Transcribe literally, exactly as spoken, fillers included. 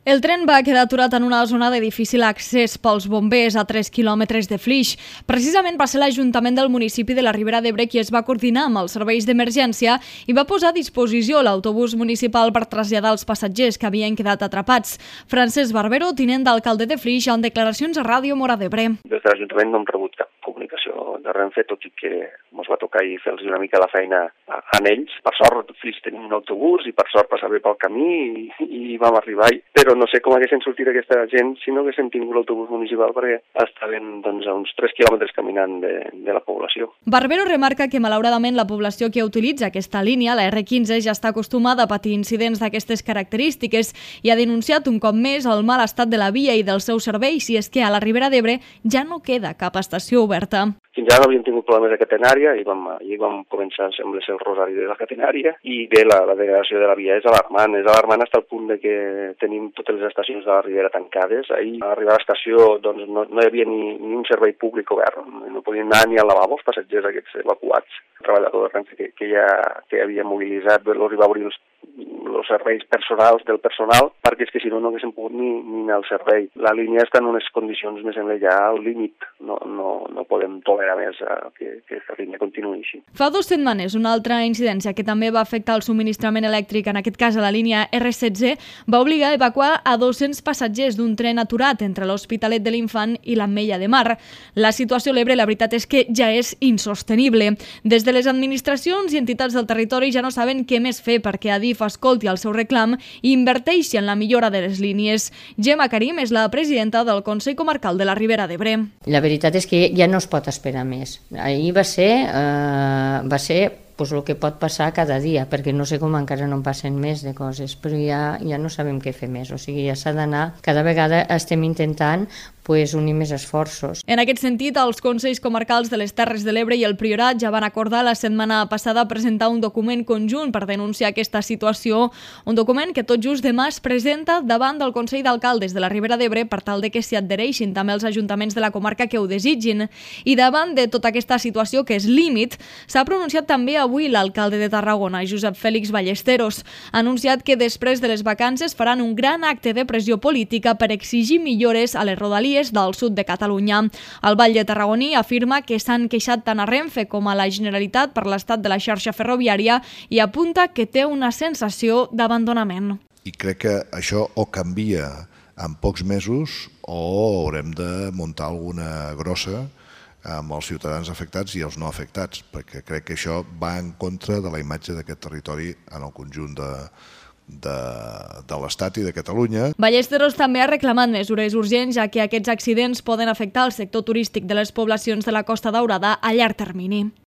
El tren va quedar aturat en una zona de difícil accés pels bombers a tres quilòmetres de Flix. Precisament va ser l'Ajuntament del municipi de la Ribera d'Ebre qui es va coordinar amb els serveis d'emergència i va posar a disposició l'autobús municipal per traslladar els passatgers que havien quedat atrapats. Francesc Barbero, tinent d'alcalde de Flix, en declaracions a Ràdio Móra d'Ebre. Des de l'Ajuntament no hem rebut cap comunicació de Renfe, tot i que ens va tocar i fer-los una mica la feina a, a ells. Per sort, Flix tenim un autobús i per sort passava pel camí i, i vam arribar-hi. Però no sé com haguessin sortit aquesta gent si no haguessin tingut l'autobús municipal perquè estaven doncs, a uns tres quilòmetres caminant de, de la població. Barbero remarca que malauradament la població que utilitza aquesta línia, la erre quinze, ja està acostumada a patir incidents d'aquestes característiques i ha denunciat un cop més el mal estat de la via i dels seus serveis, i és que a la Ribera d'Ebre ja no queda cap estació oberta. Fins ara no havíem tingut problemes de catenària i vam, i vam començar, sembla ser, el rosari de la catenària, i bé, la, la degradació de la via és alarmant. És alarmant fins al punt de que tenim totes les estacions de la Ribera tancades. Ahir, a arribar a l'estació, doncs, no, no hi havia ni, ni un servei públic obert. No podien anar ni al lavabo els passatgers aquests evacuats. El treballador de Renfe que, que, ja, que havia mobilitzat, els va obrir els els serveis personals del personal, perquè és que si no no haguéssim pogut ni, ni anar al servei. La línia està en unes condicions més enllà ja al límit. No, no, no podem tolerar més a que, que aquesta línia continuï així. Fa dues setmanes, una altra incidència que també va afectar el subministrament elèctric, en aquest cas a la línia erre setze, va obligar a evacuar a dos-cents passatgers d'un tren aturat entre l'Hospitalet de l'Infant i l'Ametlla de Mar. La situació a l'Ebre, la veritat és que ja és insostenible. Des de les administracions i entitats del territori ja no saben què més fer perquè Adif escolti el seu reclam i inverteixi en la millora de les línies. Gemma Karim és la presidenta del Consell Comarcal de la Ribera d'Ebre. La veritat és que ja no es pot esperar més. Ahir va ser, eh, va ser pues, el que pot passar cada dia, perquè no sé com encara no en passen més de coses, però ja, ja no sabem què fer més. O sigui, ja s'ha d'anar. Cada vegada estem intentant pues, unir més esforços. En aquest sentit, els Consells Comarcals de les Terres de l'Ebre i el Priorat ja van acordar la setmana passada presentar un document conjunt per denunciar aquesta situació, un document que tot just demà es presenta davant del Consell d'Alcaldes de la Ribera d'Ebre per tal de que s'hi adhereixin també els ajuntaments de la comarca que ho desitgin. I davant de tota aquesta situació, que és límit, s'ha pronunciat també avui l'alcalde de Tarragona, Josep Félix Ballesteros. Ha anunciat que després de les vacances faran un gran acte de pressió política per exigir millores a les rodalies del sud de Catalunya. El Batlle Tarragoní afirma que s'han queixat tant a Renfe com a la Generalitat per l'estat de la xarxa ferroviària i apunta que té una sensació d'abandonament. I crec que això o canvia en pocs mesos o haurem de muntar alguna grossa amb els ciutadans afectats i els no afectats, perquè crec que això va en contra de la imatge d'aquest territori en el conjunt de de, de l'Estat i de Catalunya. Ballesteros també ha reclamat mesures urgents, ja que aquests accidents poden afectar el sector turístic de les poblacions de la Costa Daurada a llarg termini.